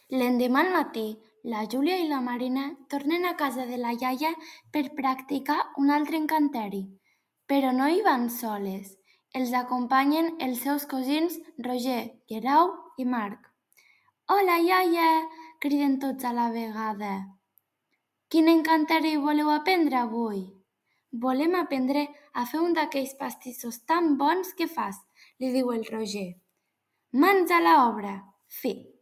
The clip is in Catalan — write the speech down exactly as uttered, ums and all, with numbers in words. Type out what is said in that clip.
L'endemà al matí, la Júlia i la Marina tornen a casa de la iaia per practicar un altre encanteri. Però no hi van soles. Els acompanyen els seus cosins Roger, Guerau i Marc. «Hola, iaia!», criden tots a la vegada. «Quin encanteri voleu aprendre avui?» «Volem aprendre a fer un d'aquells pastissos tan bons que fas», li diu el Roger. «Mans a l'obra!», fi.